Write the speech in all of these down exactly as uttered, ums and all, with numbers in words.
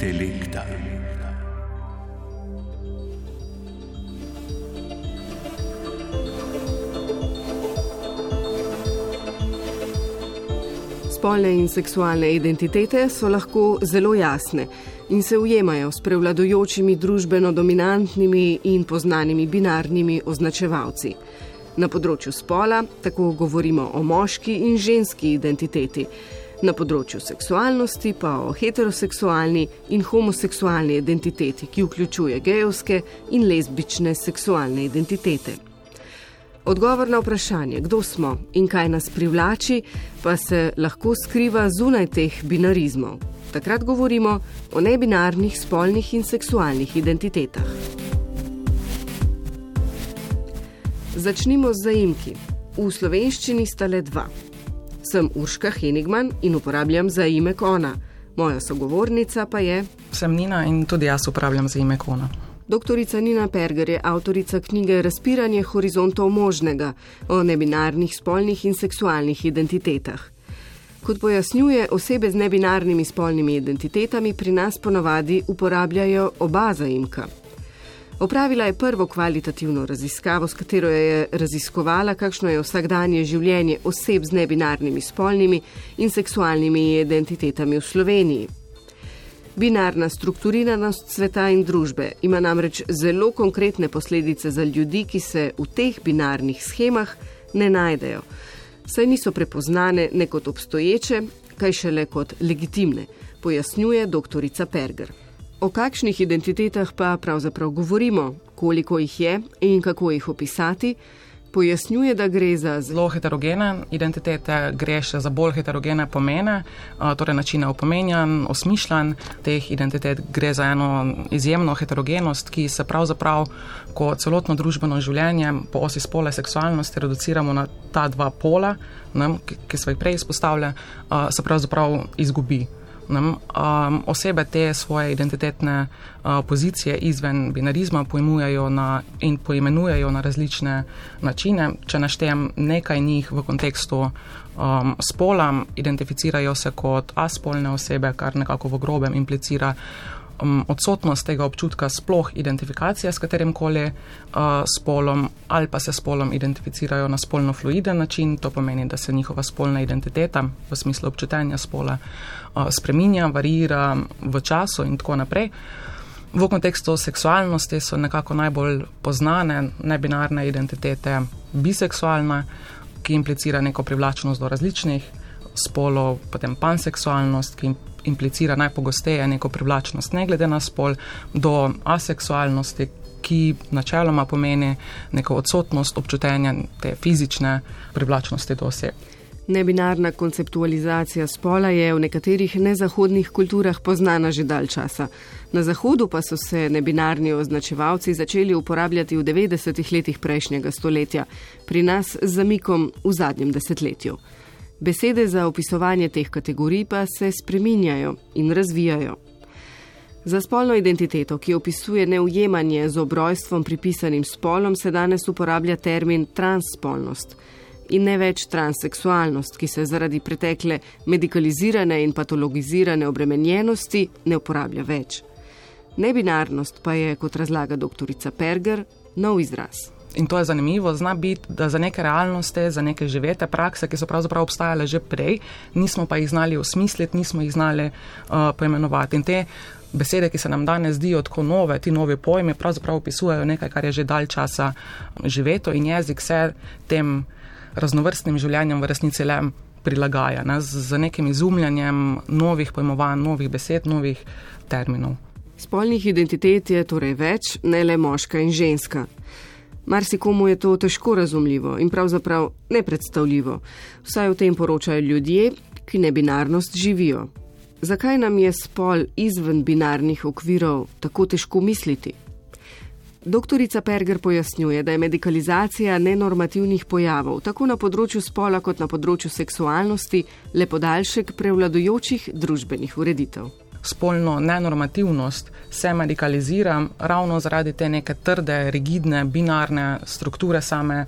intelekta. Spolne in seksualne identitete so lahko zelo jasne in se ujemajo s prevladujočimi družbeno dominantnimi in poznanimi binarnimi označevalci. Na področju spola tako govorimo o moški in ženski identiteti, na področju seksualnosti pa o heteroseksualni in homoseksualni identiteti, ki vključuje gejevske in lezbične seksualne identitete. Odgovor na vprašanje, kdo smo in kaj nas privlači, pa se lahko skriva zunaj teh binarizmov. Takrat govorimo o nebinarnih spolnih in seksualnih identitetah. Začnimo z zaimki. V slovenščini sta le dva. Sem Urška Henigman in uporabljam zaimek ona. Moja sogovornica pa je... Sem Nina in tudi jaz uporabljam zaimek ona. Doktorica Nina Perger je avtorica knjige Razpiranje horizontov možnega o nebinarnih spolnih in seksualnih identitetah. Kot pojasnjuje, osebe z nebinarnimi spolnimi identitetami pri nas ponavadi uporabljajo oba zaimka. Opravila je prvo kvalitativno raziskavo, s katero je raziskovala, kakšno je vsakdanje življenje oseb z nebinarnimi spolnimi in seksualnimi identitetami v Sloveniji. Binarna strukturiranost sveta in družbe ima namreč zelo konkretne posledice za ljudi, ki se v teh binarnih schemah ne najdejo, saj niso prepoznane ne kot obstoječe, kaj šele kot legitimne, pojasnjuje doktorica Perger. O kakšnih identitetah pa pravzaprav govorimo, koliko jih je in kako jih opisati, pojasnjuje, da gre za zelo heterogene identitete, gre še za bolj heterogene pomene, torej načine opomenjanj, osmišljanj teh identitet, gre za eno izjemno heterogenost, ki se pravzaprav, ko celotno družbeno življenje po osi spola in seksualnosti reduciramo na ta dva pola, ne, ki so jih prej izpostavlja, se pravzaprav izgubi. Um, osebe te svoje identitetne uh, pozicije izven binarizma pojmujejo na, in poimenujejo na različne načine. Če naštejem nekaj njih v kontekstu um, spola, identificirajo se kot aspolne osebe, kar nekako v grobem implicira um, odsotnost tega občutka sploh identifikacije s katerimkoli uh, spolom, ali pa se spolom identificirajo na spolno fluiden način, to pomeni, da se njihova spolna identiteta v smislu občutenja spola uh, spreminja, variira v času in tako naprej. V kontekstu seksualnosti so nekako najbolj poznane nebinarne identitete biseksualna, ki implicira neko privlačnost do različnih spolov, potem panseksualnost, ki implicira najpogosteje neko privlačnost ne glede na spol, do aseksualnosti, ki načeloma pomeni neko odsotnost občutenja te fizične privlačnosti do oseb. Nebinarna konceptualizacija spola je v nekaterih nezahodnih kulturah poznana že dalj časa. Na Zahodu pa so se nebinarni označevalci začeli uporabljati v devetdesetih letih prejšnjega stoletja, pri nas z zamikom v zadnjem desetletju. Besede za opisovanje teh kategorij pa se spreminjajo in razvijajo. Za spolno identiteto, ki opisuje neujemanje z obrojstvom pripisanim spolom, se danes uporablja termin transspolnost in ne več transseksualnost, ki se zaradi pretekle medikalizirane in patologizirane obremenjenosti ne uporablja več. Nebinarnost pa je, kot razlaga doktorica Perger, nov izraz. In to je zanimivo, zna biti, da za neke realnosti, za neke živete prakse, ki so pravzaprav obstajale že prej, nismo pa jih znali osmisliti, nismo jih znali uh, poimenovati. In te besede, ki se nam danes zdijo tako nove, ti novi pojmi, pravzaprav opisujejo nekaj, kar je že dalj časa živeto in jezik se tem raznovrstnim življenjem v resnici le prilagaja, ne, z nekim izumljanjem novih pojmovanj, novih besed, novih terminov. Spolnih identitet je torej več, ne le moška in ženska. Marsikomu je to težko razumljivo in pravzaprav nepredstavljivo. Vsaj o tem poročajo ljudje, ki nebinarnost živijo. Zakaj nam je spol izven binarnih okvirov tako težko misliti? Doktorica Perger pojasnjuje, da je medikalizacija nenormativnih pojavov, tako na področju spola kot na področju seksualnosti, le podaljšek prevladujočih družbenih ureditev. Spolno nenormativnost se medikalizira ravno zaradi te neke trde, rigidne, binarne strukture same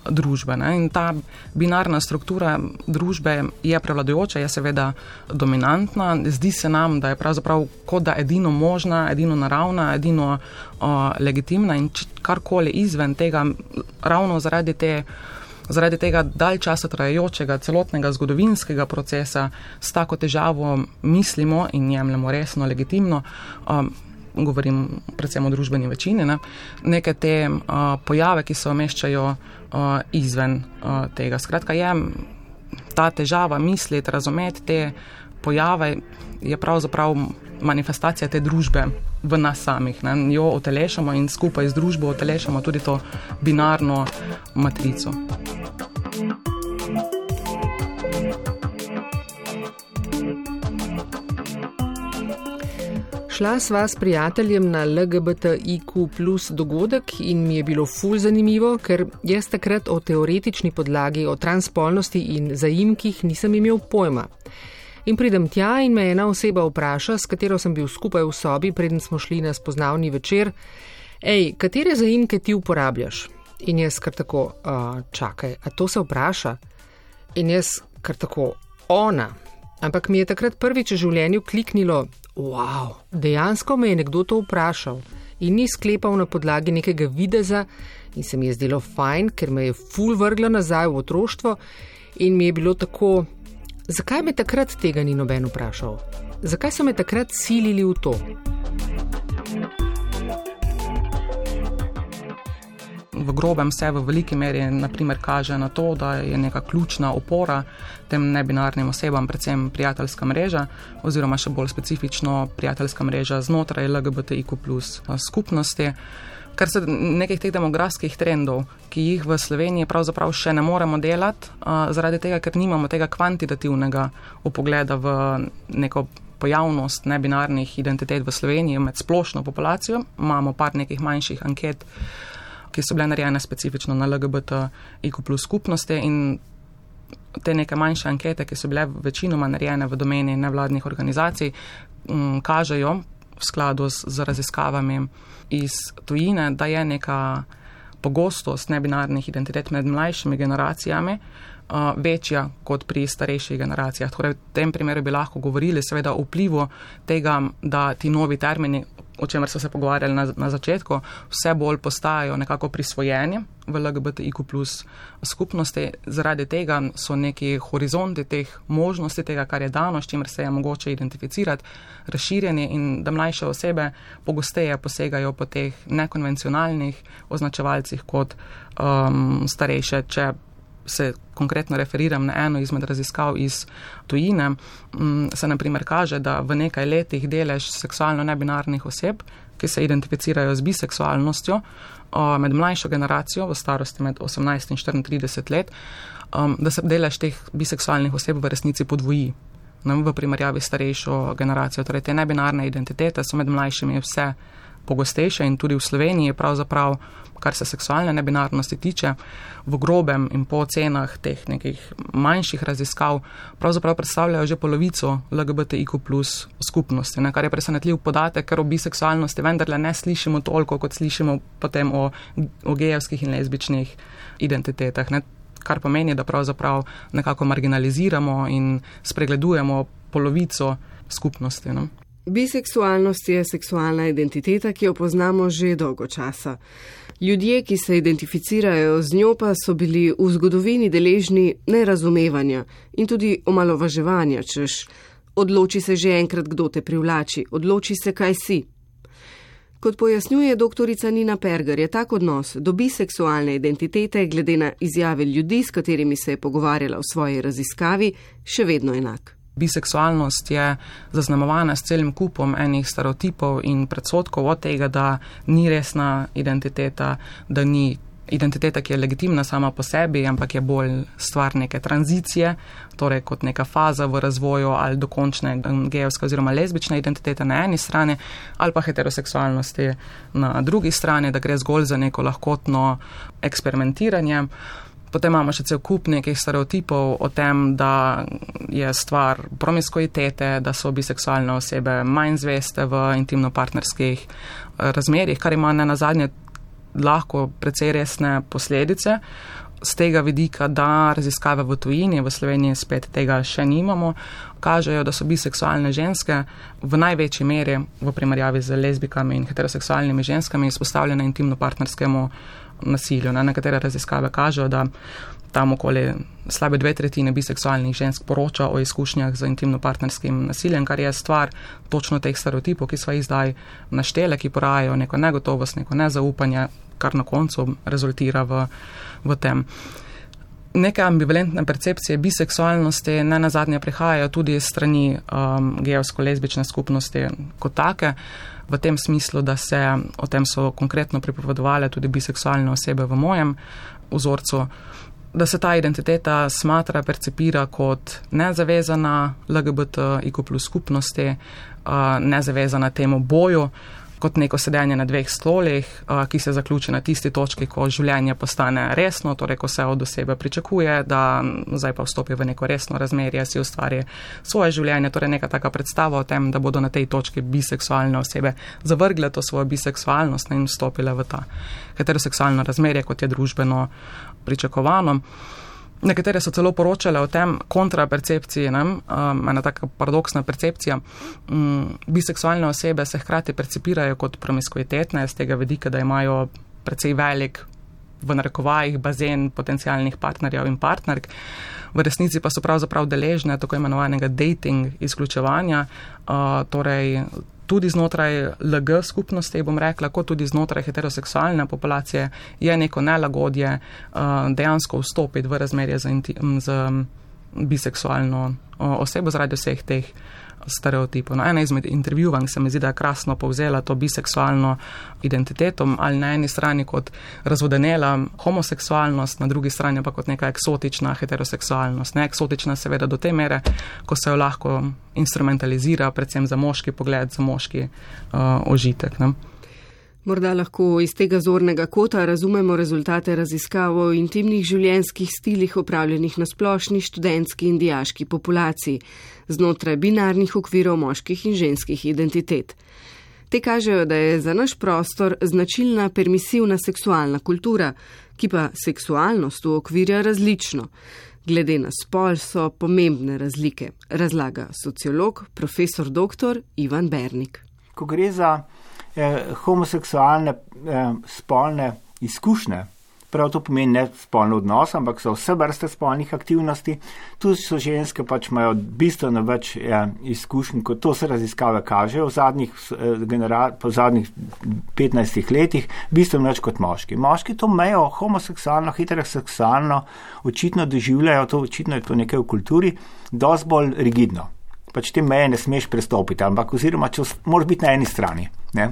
družbe. Ne? In ta binarna struktura družbe je prevladujoča, je seveda dominantna. Zdi se nam, da je pravzaprav kot da edino možna, edino naravna, edino uh, legitimna in karkoli izven tega, ravno zaradi te Zaradi tega dalj časa trajajočega celotnega zgodovinskega procesa s tako težavo mislimo in jemljemo resno, legitimno, um, govorim predvsem o družbeni večini, ne, neke te uh, pojave, ki se umeščajo uh, izven uh, tega. Skratka, je ta težava misliti, razumeti te pojave, je pravzaprav manifestacija te družbe v nas samih. Ne, jo utelešamo in skupaj z družbo utelešamo tudi to binarno matrico. Šla sva s prijateljem na L G B T I Q plus dogodek in mi je bilo ful zanimivo, ker jaz takrat o teoretični podlagi, o transspolnosti in zaimkih nisem imel pojma. In pridem tja in me ena oseba vpraša, s katero sem bil skupaj v sobi, preden smo šli na spoznavni večer, ej, katere zaimke ti uporabljaš? In jaz kar tako, uh, čakaj, a to se vpraša? In jaz kar tako, ona. Ampak mi je takrat prvič v življenju kliknilo, wow, dejansko me je nekdo to vprašal in ni sklepal na podlagi nekega videza in se mi je zdelo fajn, ker me je ful vrglo nazaj v otroštvo in mi je bilo tako, zakaj me takrat tega ni noben vprašal? Zakaj so me takrat silili v to? V grobem se v veliki meri naprimer kaže na to, da je neka ključna opora tem nebinarnim osebam, predvsem prijateljska mreža oziroma še bolj specifično prijateljska mreža znotraj L G B T I Q plus skupnosti. Kar se nekih teh demografskih trendov, ki jih v Sloveniji pravzaprav še ne moremo delati, zaradi tega, ker nimamo tega kvantitativnega upogleda v neko pojavnost nebinarnih identitet v Sloveniji med splošno populacijo. Imamo par nekih manjših anket, ki so bile narejene specifično na L G B T I Q plus skupnosti in te neke manjše ankete, ki so bile večinoma narejene v domeni nevladnih organizacij, m, kažejo v skladu z, z raziskavami iz tujine, da je neka pogostost nebinarnih identitet med mlajšimi generacijami uh, večja kot pri starejših generacijah. Torej, v tem primeru bi lahko govorili seveda o vplivu tega, da ti novi termini, o čemer so se pogovarjali na, na začetku, vse bolj postajajo nekako prisvojeni v L G B T I Q plus skupnosti. Zaradi tega so neki horizonti teh možnosti, tega, kar je dano, s čimer se je mogoče identificirati, razširjeni in da mlajše osebe pogosteje posegajo po teh nekonvencionalnih označevalcih kot um, starejše. Če se konkretno referiram na eno izmed raziskav iz tujine, se na primer kaže, da v nekaj letih delež seksualno nebinarnih oseb, ki se identificirajo z biseksualnostjo, med mlajšo generacijo v starosti med osemnajst in štiriintrideset let, da se delež teh biseksualnih oseb v resnici podvoji v primerjavi s starejšo generacijo. Torej, te nebinarne identitete so med mlajšimi vse pogostejše in tudi v Sloveniji pravzaprav, kar se seksualne nebinarnosti tiče, v grobem in po ocenah teh nekih manjših raziskav, pravzaprav predstavljajo že polovico L G B T I Q plus skupnosti, ne, kar je presenetljiv podatek, ker o biseksualnosti vendarle ne slišimo toliko, kot slišimo potem o, o gejevskih in lezbičnih identitetah, ne, kar pomeni, da pravzaprav nekako marginaliziramo in spregledujemo polovico skupnosti. Ne. Biseksualnost je seksualna identiteta, ki jo poznamo že dolgo časa. Ljudje, ki se identificirajo z njo, pa so bili v zgodovini deležni nerazumevanja in tudi omalovaževanja, češ odloči se že enkrat, kdo te privlači, odloči se, kaj si. Kot pojasnjuje doktorica Nina Perger, je tak odnos do biseksualne identitete glede na izjave ljudi, s katerimi se je pogovarjala v svoji raziskavi, še vedno enak. Biseksualnost je zaznamovana s celim kupom enih stereotipov in predsotkov od tega, da ni resna identiteta, da ni identiteta, ki je legitimna sama po sebi, ampak je bolj stvar neke tranzicije, torej kot neka faza v razvoju ali dokončne gejevske oziroma lezbične identitete na eni strani ali pa heteroseksualnosti na drugi strani, da gre zgolj za neko lahkotno eksperimentiranje. Potem imamo še cel kup nekih stereotipov o tem, da je stvar promiskuitete, da so biseksualne osebe manj zveste v intimno-partnerskih razmerjih, kar ima ne nazadnje lahko precej resne posledice. z tega vidika, da raziskave v tujini, v Sloveniji spet tega še nimamo, kažejo, da so biseksualne ženske v največji meri v primerjavi z lezbikami in heteroseksualnimi ženskami izpostavljene intimno-partnerskemu nasilju. Na nekatere raziskave kažejo, da tam okoli slabe dve tretjine biseksualnih žensk poroča o izkušnjah z intimno-partnerskim nasiljem, kar je stvar točno teh stereotipov, ki sva jih zdaj naštele, ki porajajo neko negotovost, neko nezaupanje, kar na koncu rezultira v, v tem. Neke ambivalentne percepcije biseksualnosti ne nazadnje prihajajo tudi iz strani um, gejevsko-lezbične skupnosti kot take, v tem smislu, da se o tem so konkretno pripovedovale tudi biseksualne osebe v mojem vzorcu, da se ta identiteta smatra, percepira kot nezavezana L G B T I Q plus skupnosti, uh, nezavezana temu boju, kot neko sedenje na dveh stolih, ki se zaključi na tisti točki, ko življenje postane resno, torej ko se od osebe pričakuje, da zdaj pa vstopi v neko resno razmerje, si ustvari svoje življenje, torej neka taka predstava o tem, da bodo na tej točki biseksualne osebe zavrgle to svojo biseksualnost in vstopile v ta heteroseksualno razmerje, kot je družbeno pričakovano. Nekatere so celo poročale o tem kontrapercepciji, ne? Um, ena taka paradoksna percepcija. Um, biseksualne osebe se hkrati percepirajo kot promiskuitetne, z tega vidika, da imajo precej velik, v narekovajih, bazen potencialnih partnerjev in partnerk. V resnici pa so pravzaprav deležne tako imenovanega dating izključevanja, uh, torej tudi znotraj L G skupnosti, bom rekla, kot tudi znotraj heteroseksualne populacije je neko nelagodje uh, dejansko vstopiti v razmerje z, inti- z biseksualno uh, osebo zaradi vseh teh stereotipov. No, ena izmed intervjuvanj se mi zdi, da je krasno povzela to biseksualno identiteto, ali na eni strani kot razvodenela homoseksualnost, na drugi strani pa kot neka eksotična heteroseksualnost. Ne eksotična seveda do te mere, ko se jo lahko instrumentalizira, predvsem za moški pogled, za moški uh, ožitek. Ne? Morda lahko iz tega zornega kota razumemo rezultate raziskav o intimnih življenjskih stilih opravljenih na splošni študentski in dijaški populaciji znotraj binarnih okvirov moških in ženskih identitet. Te kažejo, da je za naš prostor značilna permisivna seksualna kultura, ki pa seksualnost okvirja različno. Glede na spol so pomembne razlike, razlaga sociolog, profesor doktor Ivan Bernik. Ko gre za eh, homoseksualne eh, spolne izkušnje, prav to pomeni ne spolni odnos, ampak so vse vrste spolnih aktivnosti, tu so ženske pač imajo bistveno več eh, izkušenj, kot to se raziskave kažejo v zadnjih, eh, genera- po zadnjih petnajstih letih, bistveno več kot moški. Moški to mejo homoseksualno, heteroseksualno očitno doživljajo, to očitno je to nekaj v kulturi, dosti bolj rigidno. Pač te meje ne smeš prestopiti, ampak oziroma, če moraš biti na eni strani. Ne?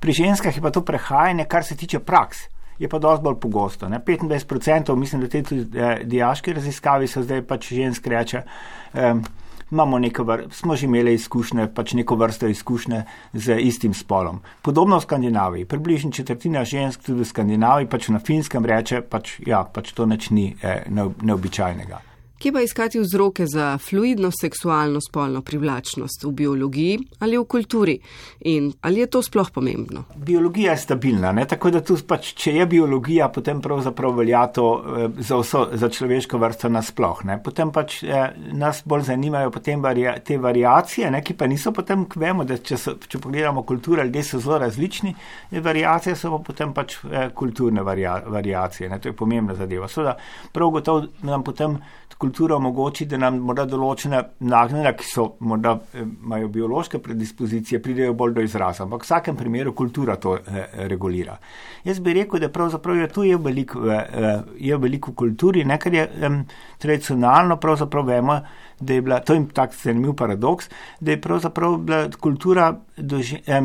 Pri ženskah je pa to prehajanje, kar se tiče praks, je pa dosti bolj pogosto. Ne? petindvajset procentov, mislim, da te tudi eh, dijaške raziskavi so zdaj pač žensk reče, eh, imamo neko vr- smo že imeli izkušnje, pač neko vrsto izkušnje z istim spolom. Podobno v Skandinaviji, približno četrtina žensk tudi v Skandinaviji, pač na Finskem reče, pač ja, pač to nič ni eh, neobičajnega. Kje pa iskati vzroke za fluidno seksualno spolno privlačnost v biologiji ali v kulturi? In ali je to sploh pomembno? Biologija je stabilna, ne? Tako da tu pač, če je biologija, potem pravzaprav velja to eh, za, vso, za človeško vrsto nasploh. Ne? Potem pač eh, nas bolj zanimajo potem varia, te variacije, ne? Ki pa niso potem, vemo, da če, so, če pogledamo kulture, ljudje so zelo različni, variacije so pa potem pač eh, kulturne varia, variacije, ne? To je pomembna zadeva. Seveda, prav gotovo nam potem kultura omogoči, da nam morda določene nagnjenja, ki so morda imajo biološke predispozicije, pridejo bolj do izraza, ampak v vsakem primeru kultura to eh, regulira. Jaz bi rekel, da pravzaprav je to je veliko eh, je veliko v kulturi, ne, ker je eh, tradicionalno pravzaprav vemo, da je bila, to je tak zanimiv paradoks, da je pravzaprav bila kultura do, eh,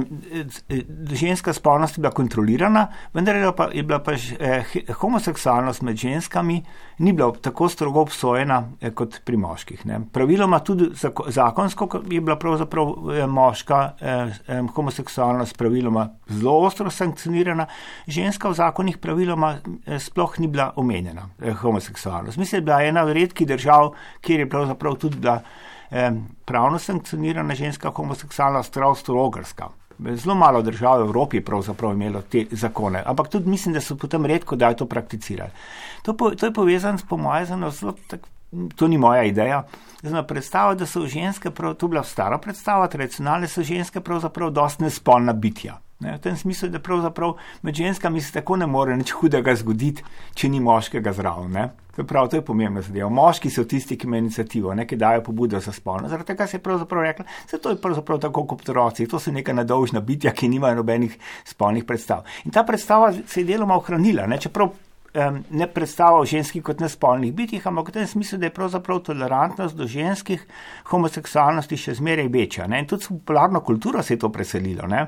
do ženska spolnost bila kontrolirana, vendar je bila pa, je bila pa eh, homoseksualnost med ženskami ni bila tako strogo obsojena eh, kot pri moških. Ne. Praviloma tudi zakonsko je bila pravzaprav eh, moška eh, eh, homoseksualnost praviloma zelo ostro sankcionirana, ženska v zakonih praviloma eh, sploh ni bila omenjena eh, homoseksualnost. Mislim, da je bila ena v redkih držav, kjer je pravzaprav tudi bila eh, pravno sankcionirana ženska homoseksualnost, Avstro-Ogrska. Zelo malo držav v Evropi pravzaprav imelo te zakone, ampak tudi mislim, da so potem redko, da je to prakticirali. To, po, to je povezano s pomojezano zelo, tak, to ni moja ideja, zelo predstava, da so ženske, prav, to je bila stara predstava, tradicionalne so ženske pravzaprav dosti nespolna bitja. Ne, v tem smislu, da pravzaprav med ženskami se tako ne more nič hudega zgoditi, če ni moškega zraven. Ne. To je prav, to je pomembna zadeva. Moški so tisti, ki imajo inicijativo, ne, ki dajo pobudo za spolno. Zaradi tega se je pravzaprav rekla, da to je pravzaprav tako kot otroci, to so neka nedolžna bitja, ki nimajo nobenih spolnih predstav. In ta predstava se je deloma ohranila, ne, čeprav um, ne predstava o ženskih kot nespolnih bitjih, ampak v tem smislu, da je pravzaprav tolerantnost do ženskih homoseksualnosti še zmeraj večja. Ne. In tudi s popularno kulturo se je to preselilo. Ne.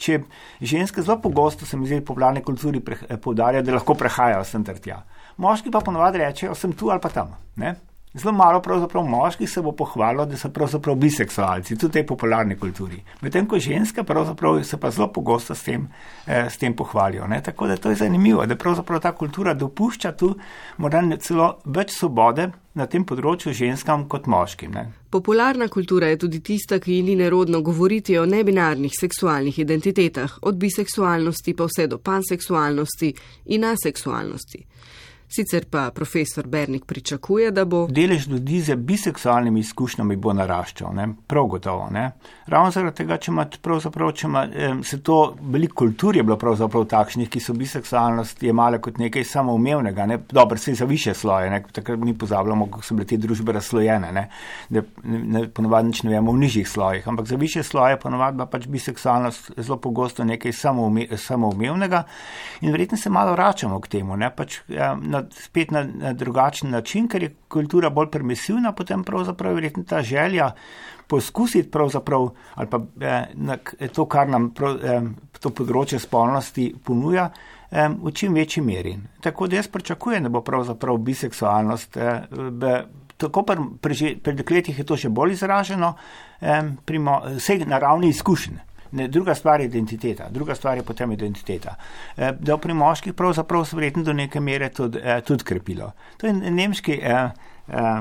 Če ženske zelo pogosto, se mi zdi, v popularni kulturi poudarjajo, da lahko prehajajo sem ter tja. Moški pa ponovadi rečejo, sem tu ali pa tam. Ne? Zelo malo pravzaprav moških se bo pohvalilo, da so pravzaprav biseksualci, tudi v tej popularni kulturi. Medtem ko ženske pravzaprav se pa zelo pogosto s tem, eh, s tem pohvalijo. Ne? Tako da to je zanimivo, da pravzaprav ta kultura dopušča tu morda celo več svobode na tem področju ženskam kot moškim. Ne? Popularna kultura je tudi tista, ki ni nerodno govoriti o nebinarnih seksualnih identitetah, od biseksualnosti pa vse do panseksualnosti in aseksualnosti. Sicer pa profesor Bernik pričakuje, da bo delež ljudi z biseksualnimi izkušnjami bo naraščal, ne? Prav gotovo. Ne? Ravno zaradi tega, če ima pravzaprav, če ima, se to, veliko kultur je bilo pravzaprav takšnih, ki so biseksualnost jemale kot nekaj samoumevnega, ne? Dobro, se za više sloje, ne? Takrat mi pozabljamo, kako so bile te družbe razslojene, ne? Da ne, ponovadi nič ne vemo v nižjih slojih, ampak za više sloje ponovadi pa pač biseksualnost zelo pogosto nekaj samoume, samoumevnega in verjetno se malo vračamo k temu, ne? Pač na spet na, na drugačen način, ker je kultura bolj permisivna, potem pravzaprav verjetno ta želja poskusiti pravzaprav, ali pa eh, na, to, kar nam prav, eh, to področje spolnosti ponuja, eh, v čim večji meri. Tako da jaz pričakujem, da bo pravzaprav biseksualnost, eh, be, tako pri, pri, pri dekletih je to še bolj izraženo, eh, pri mo, vsej na ravni izkušenj. Ne, druga stvar je identiteta, druga stvar je potem identiteta. E, da pri moških pravzaprav se verjetno do neke mere tudi, e, tudi krepilo. To je nemški e, e,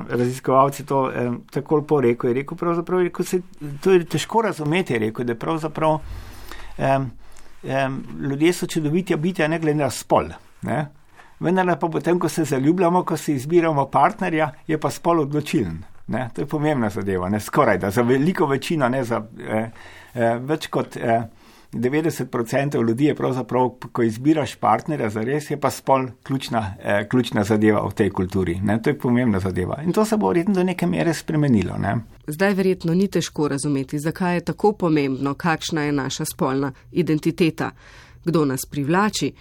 raziskovalci to e, tako lepo rekel, je rekel pravzaprav, je rekel, se, to je težko razumeti, je rekel, da pravzaprav e, e, ljudje so čudovitja bitja ne glede na spol. Ne? Vendar pa potem, ko se zaljubljamo, ko se izbiramo partnerja, je pa spol odločilen. Ne? To je pomembna zadeva, ne skoraj da, za veliko večino, ne za eh, eh, več kot eh, devetdeset procentov ljudi je pravzaprav, ko izbiraš partnerja za res, je pa spol ključna, eh, ključna zadeva v tej kulturi. Ne? To je pomembna zadeva. In to se bo verjetno do neke mere spremenilo. Ne? Zdaj verjetno ni težko razumeti, zakaj je tako pomembno, kakšna je naša spolna identiteta, kdo nas privlači.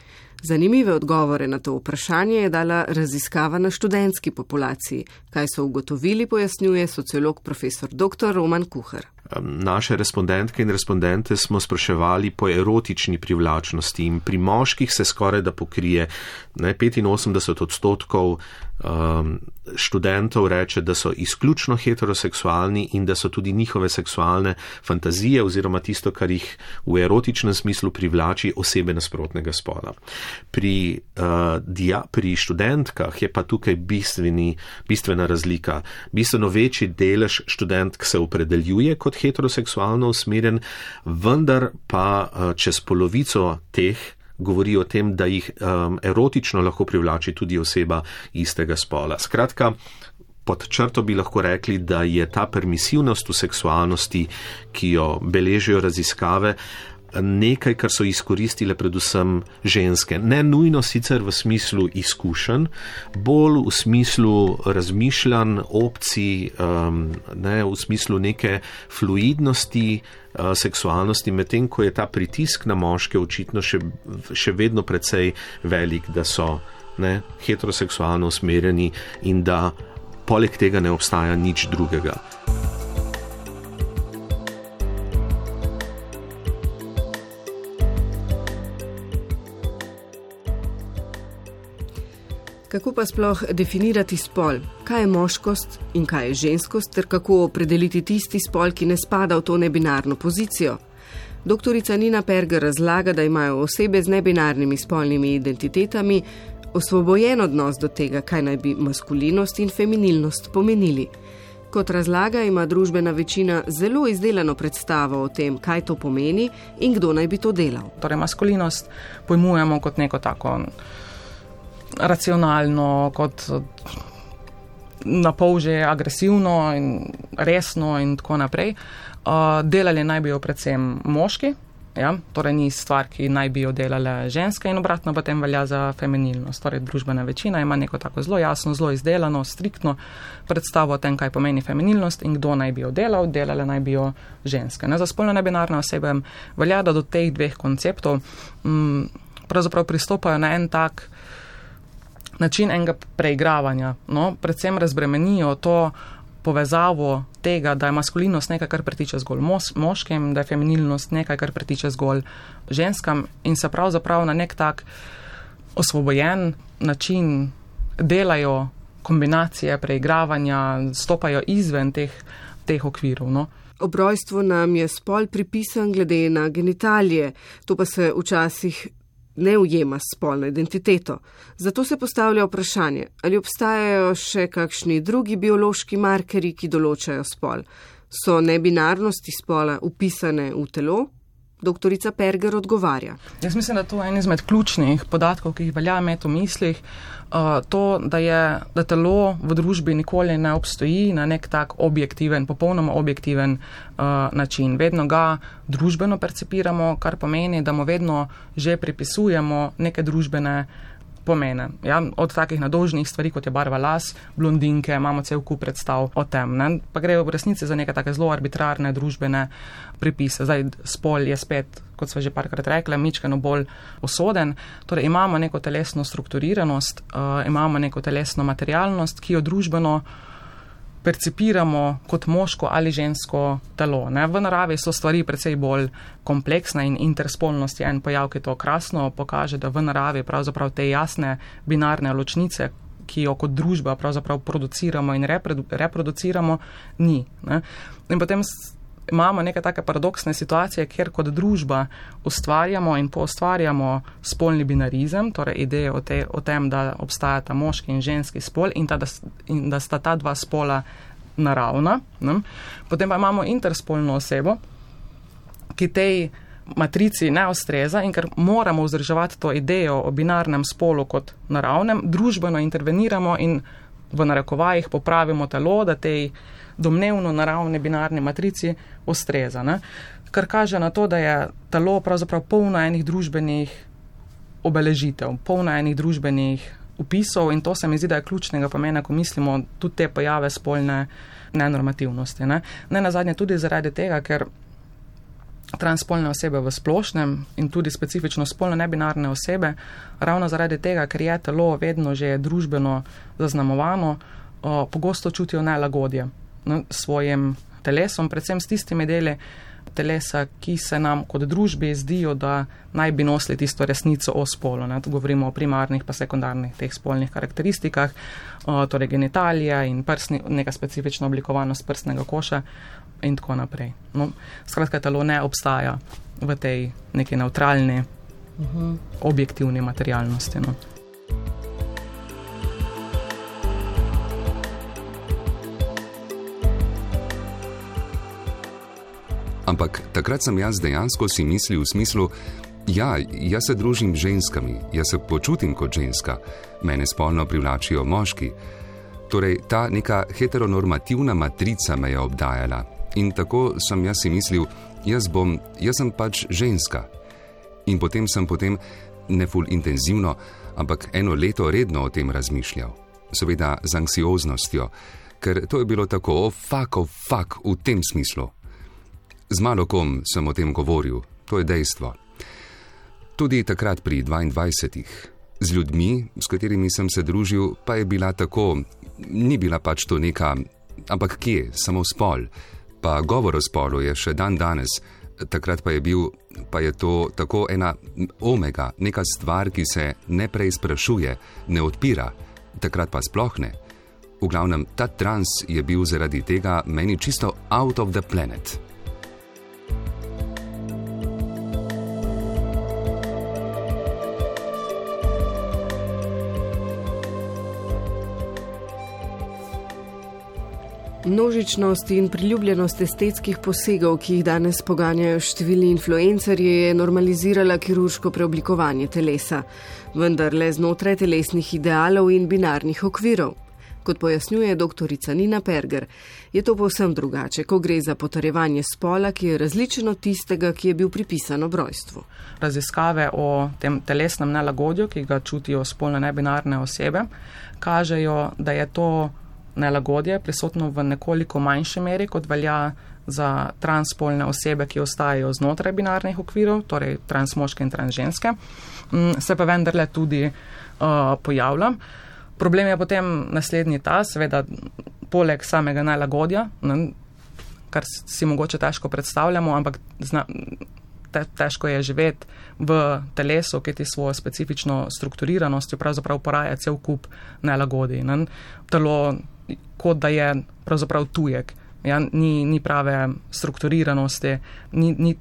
Zanimive odgovore na to vprašanje je dala raziskava na študentski populaciji. Kaj so ugotovili, pojasnjuje sociolog profesor doktor Roman Kuhar. Naše respondentke in respondente smo spraševali po erotični privlačnosti in pri moških se skoraj da pokrije ne, petinosemdeset odstotkov um, študentov reče, da so izključno heteroseksualni in da so tudi njihove seksualne fantazije oziroma tisto, kar jih v erotičnem smislu privlači, osebe nasprotnega spola. Pri, uh, dia, pri študentkah je pa tukaj bistveni, bistvena razlika. Bistveno večji delež študentk se opredeljuje kot heteroseksualno usmerjen, vendar pa uh, čez polovico teh govori o tem, da jih um, erotično lahko privlači tudi oseba istega spola. Skratka, pod črto bi lahko rekli, da je ta permisivnost v seksualnosti, ki jo beležijo raziskave, nekaj, kar so izkoristile predvsem ženske. Ne nujno sicer v smislu izkušenj, bolj v smislu razmišljanj, opcij, um, ne, v smislu neke fluidnosti, uh, seksualnosti, medtem ko je ta pritisk na moške očitno še, še vedno precej velik, da so ne, heteroseksualno usmerjeni in da poleg tega ne obstaja nič drugega. Kako pa sploh definirati spol? Kaj je moškost in kaj je ženskost, ter kako opredeliti tisti spol, ki ne spada v to nebinarno pozicijo? Doktorica Nina Perger razlaga, da imajo osebe z nebinarnimi spolnimi identitetami osvobojen odnos do tega, kaj naj bi maskulinost in feminilnost pomenili. Kot razlaga, ima družbena večina zelo izdelano predstavo o tem, kaj to pomeni in kdo naj bi to delal. Torej, maskulinost pojmujemo kot neko tako racionalno, kot napol že agresivno in resno in tako naprej. Uh, delali naj bi jo predvsem moški, ja? Torej ni stvar, ki naj bi jo delale ženske in obratno potem velja za feminilnost. Torej družbena večina ima neko tako zelo jasno, zelo izdelano, striktno predstavo o tem, kaj pomeni feminilnost in kdo naj bi jo delal, delale naj bi jo ženske. Ne? Za spolno nebinarne osebe velja, da do teh dveh konceptov m, pravzaprav pristopajo na en tak način enega preigravanja. No? Predvsem razbremenijo to povezavo tega, da je maskulinost nekaj, kar pritiče zgolj mos, moškim, da je feminilnost nekaj, kar pritiče zgolj ženskam in se pravzaprav na nek tak osvobojen način delajo kombinacije preigravanja, stopajo izven teh, teh okvirov. No? Ob rojstvu nam je spol pripisan glede na genitalije, to pa se včasih ne ujema s spolno identiteto. Zato se postavlja vprašanje, ali obstajajo še kakšni drugi biološki markerji, ki določajo spol. So nebinarnosti spola upisane v telo? Doktorica Perger odgovarja. Jaz mislim, da to je en izmed ključnih podatkov, ki jih velja imeti v mislih, uh, to, da, je, da telo v družbi nikoli ne obstoji na nek tak objektiven, popolnoma objektiven uh, način. Vedno ga družbeno percipiramo, kar pomeni, da mu vedno že pripisujemo neke družbene pomene. Ja, od takih nadolžnih stvari, kot je barva las, blondinke, imamo cel kup predstav o tem. Ne? Pa gre v resnici za neke take zelo arbitrarne družbene pripise. Zdaj, spol je spet, kot sva že parkrat rekla, mičkeno bolj usoden. Torej, imamo neko telesno strukturiranost, uh, imamo neko telesno materialnost, ki jo družbeno percipiramo kot moško ali žensko telo. Ne? V naravi so stvari precej bolj kompleksne in interspolnost je en pojav, ki to krasno pokaže, da v naravi pravzaprav te jasne binarne ločnice, ki jo kot družba pravzaprav produciramo in reprodu- reproduciramo, ni. Ne? In potem imamo neke take paradoksne situacije, kjer kot družba ustvarjamo in poustvarjamo spolni binarizem, torej ideje o, te, o tem, da obstajata moški in ženski spol in, ta, da, in da sta ta dva spola naravna. Ne? Potem pa imamo interspolno osebo, ki tej matrici ne ustreza in ker moramo vzdrževati to idejo o binarnem spolu kot naravnem, družbeno interveniramo in v narekovajih popravimo telo, da tej domnevno naravne binarne matrici ustreza. Ne? Kar kaže na to, da je telo pravzaprav polno enih družbenih obeležitev, polno enih družbenih upisov in to se mi zdi, da je ključnega pomena, ko mislimo tudi te pojave spolne nenormativnosti. Ne, ne nazadnje tudi zaradi tega, ker transspolne osebe v splošnem in tudi specifično spolno nebinarne osebe, ravno zaradi tega, ker je telo vedno že družbeno zaznamovano, o, pogosto čutijo nelagodje no, svojim telesom, predvsem s tistimi deli telesa, ki se nam kot družbi zdijo, da naj bi nosili tisto resnico o spolu. Ne. Tu govorimo o primarnih pa sekundarnih teh spolnih karakteristikah, o, torej genitalija in prsni, neka specifična oblikovanost prstnega koša in tako naprej. No, skratka, telo ne obstaja v tej neki neutralni, uh-huh. objektivni materialnosti. No. Ampak takrat sem jaz dejansko si mislil v smislu, ja, jaz se družim z ženskami, jaz se počutim kot ženska, mene spolno privlačijo moški. Torej, ta neka heteronormativna matrica me je obdajala. In tako sem jaz si mislil, jaz bom, jaz sem pač ženska. In potem sem potem, ne ful intenzivno, ampak eno leto redno o tem razmišljal. Seveda z anksioznostjo, ker to je bilo tako, oh fuck, oh fuck, v tem smislu. Z malo kom sem o tem govoril, to je dejstvo. Tudi takrat pri dvaindvajsetih. Z ljudmi, s katerimi sem se družil, pa je bila tako, ni bila pač to neka, ampak kje, samo spol. Pa govor o spolu je še dan danes, takrat pa je bil, pa je to tako ena omega, neka stvar, ki se ne preizprašuje, ne odpira, takrat pa sploh ne. V glavnem, ta trans je bil zaradi tega meni čisto out of the planet. Množičnost in priljubljenost estetskih posegov, ki jih danes poganjajo številni influencerji, je normalizirala kirurško preoblikovanje telesa, vendar le znotraj telesnih idealov in binarnih okvirov. Kot pojasnjuje doktorica Nina Perger, je to povsem drugače, ko gre za potrjevanje spola, ki je različen od tistega, ki je bil pripisan ob rojstvu. Raziskave o tem telesnem nelagodju, ki ga čutijo spolno nebinarne osebe, kažejo, da je to nelagodje prisotno v nekoliko manjši meri, kot velja za transspolne osebe, ki ostajajo znotraj binarnih okvirov, torej transmoške in transženske, se pa vendarle tudi uh, pojavlja. Problem je potem naslednji ta, seveda poleg samega nelagodja, ne, kar si mogoče težko predstavljamo, ampak zna, te, težko je živeti v telesu, ki ti svojo specifično strukturiranost pravzaprav poraja cel kup nelagodij. Ne. Telo kot da je pravzaprav tujek, ja, ni, ni prave strukturiranosti, ni, ni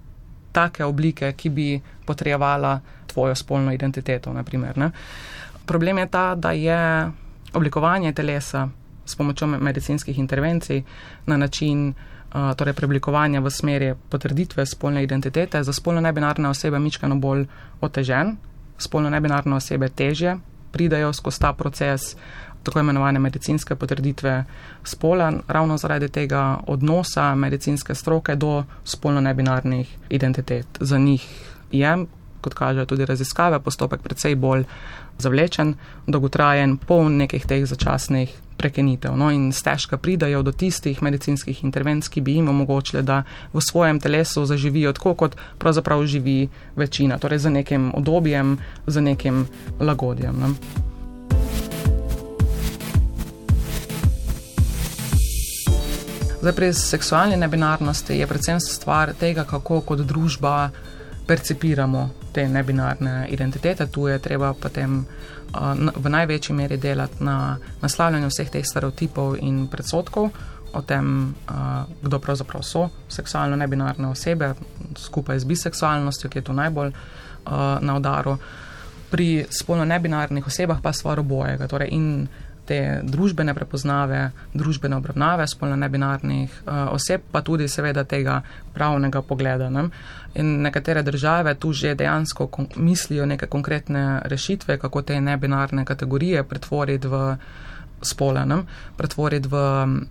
take oblike, ki bi potrjevala tvojo spolno identiteto, na primer, ne. Problem je ta, da je oblikovanje telesa s pomočjo medicinskih intervencij na način uh, torej preoblikovanja v smeri potrditve spolne identitete za spolno nebinarne osebe mičkano bolj otežen. Spolno nebinarne osebe težje pridajo skozi ta proces tako imenovane medicinske potrditve spola, ravno zaradi tega odnosa medicinske stroke do spolno nebinarnih identitet. Za njih je, kot kažejo tudi raziskave, postopek precej bolj zavlečen, dolgotrajen, poln nekih teh začasnih prekinitev. No, in stežka pridajo do tistih medicinskih intervencij, ki bi jim omogočile, da v svojem telesu zaživijo tako, kot pravzaprav živi večina, torej z nekim udobjem, z nekim lagodjem. Ne. Zdaj, pri seksualni nebinarnosti je predvsem stvar tega, kako kot družba percipiramo te nebinarne identitete. Tu je treba potem uh, v največji meri delati na naslavljanju vseh teh stereotipov in predsodkov o tem, uh, kdo pravzaprav so seksualno nebinarne osebe, skupaj z biseksualnostjo, ki je tu najbolj uh, na udaru. Pri spolno nebinarnih osebah pa stvar obojega, torej in te družbene prepoznave, družbene obravnave spolno nebinarnih uh, oseb, pa tudi seveda tega pravnega pogleda. Ne? In nekatere države tu že dejansko kon- mislijo neke konkretne rešitve, kako te nebinarne kategorije pretvoriti v spola, ne? pretvoriti v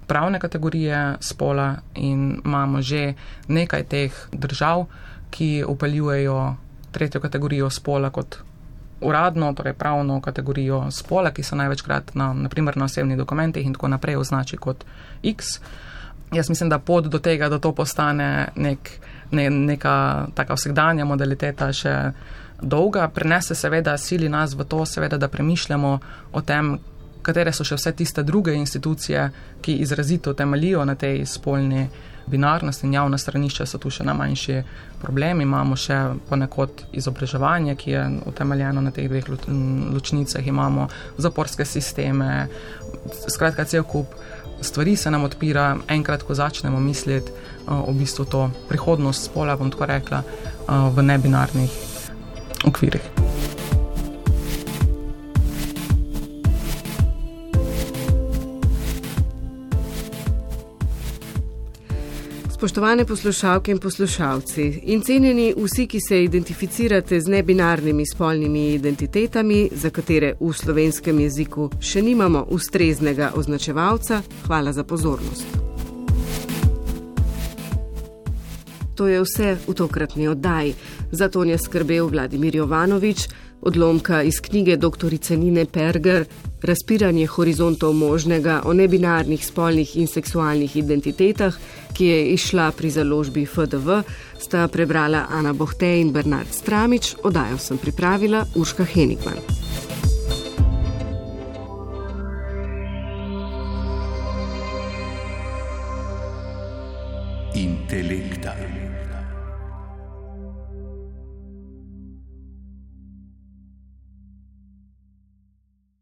pravne kategorije spola, in imamo že nekaj teh držav, ki upeljujejo tretjo kategorijo spola kot uradno, torej pravno kategorijo spola, ki se največkrat na, na primer na osebnih dokumentih in tako naprej označi kot X. Jaz mislim, da pot do tega, da to postane nek, ne, neka taka vsakdanja modaliteta še dolga, prinese seveda sili nas v to, seveda, da premišljamo o tem, katere so še vse tiste druge institucije, ki izrazito temeljijo na tej spolni binarnosti, in javna stranišča so tu še najmanjši problem. Imamo še ponekod izobraževanje, ki je utemeljeno na teh dveh ločnicah, imamo zaporske sisteme, skratka cel kup stvari se nam odpira, enkrat, ko začnemo misliti uh, v bistvu to prihodnost spola, bom tako rekla, uh, v nebinarnih okvirih. Spoštovane poslušalke in poslušalci, in cenjeni vsi, ki se identificirate z nebinarnimi spolnimi identitetami, za katere v slovenskem jeziku še nimamo ustreznega označevalca, hvala za pozornost. To je vse v tokratni oddaji. Za to je skrbel Vladimir Jovanovič, odlomka iz knjige doktorice Nine Perger Razpiranje horizontov možnega o nebinarnih spolnih in seksualnih identitetah, ki je izšla pri založbi F D V, sta prebrala Ana Bohte in Bernard Stramič, oddajo sem pripravila Urška Henigman. Intelekta.